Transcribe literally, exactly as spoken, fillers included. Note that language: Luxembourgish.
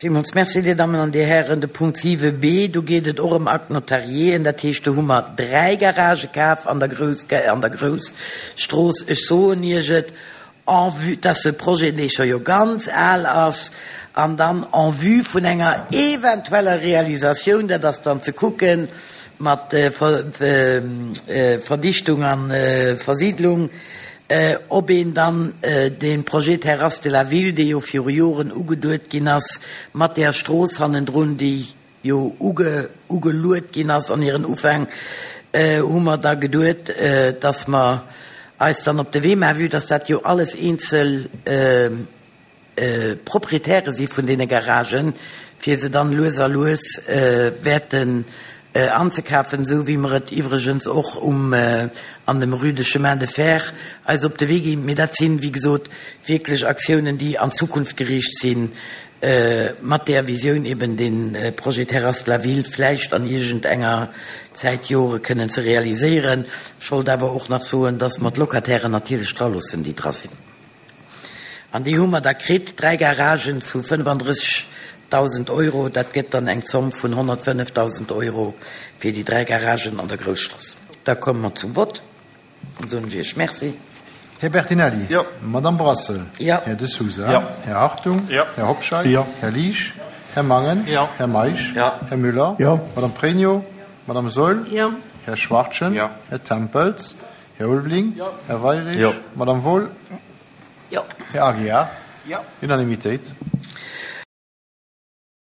Villmools Merci, Dir Dammen an Dir Hären. De Punkt siwe b, do geet et och ëm Acte notarié. Dat heescht, do hu mer dräi Garagë kaf an der Grouss, an der Grousstrooss. Ech soen Iech et, en vue, dass e Projet, dee scho jo ganz al ass, an dann en vue vun enger eventueller Realisatioun, dat ass dann ze kucken mat Verdichtung a Versiedlung, ob een dann dee Projet Terrasse de la Ville, dee jo viru Joren ugeduet ginn ass, mat där Strooss hannendrun, déi jo ugeluet ginn ass an hiren Ufäng, hu mer da geduet, dass mer eis dann op de Wee maachen, vue dass dat jo alles eenzel Proprietäre si vun deene Garagen, fir se dann lues a lues wäerten anzekafen, esou wéi mer et iwwregens och um an dem Rue de Chemin de Fer eis op de Wee ginn. Mee dat sinn, wéi gesot, wierklech Aktiounen, déi an d'Zukunft geriicht sinn, mat där Visioun eben dee Projet Terrasse de la Ville vläicht an iergend enger Zäit, Jore kënnen ze realiséieren. Ech wollt awer och nach soen, dass mer d'Locatairen natierlech draloossen, déi dra sinn. An déi hu mer da kritt, dräi Garagen zu fënnefandrëssegdausend Euro. Dat gëtt dann eng Zomm vun honnertfënnefdausend Euro fir déi dräi Garagen an der Grousstrooss. Da komme mer zum Vott. Dann soen ech Iech Merci. Här Bertinelli. Jo. Madame Brassel. Jo. Här De Sousa. Jo. Här Hartung. Jo. Här Hobscheit. Jo. Här Liesch. Här Mangen. Jo. Här Meisch. Jo. Här Müller. Jo. Madame Pregno. Madame Saeul. Jo. Här Schwachtgen. Jo. Här Tempels. Här Ulveling. Jo. Här Weirich. Jo. Madame Wohl. Jo. Här Aguiar. Jo. Unanimitéit.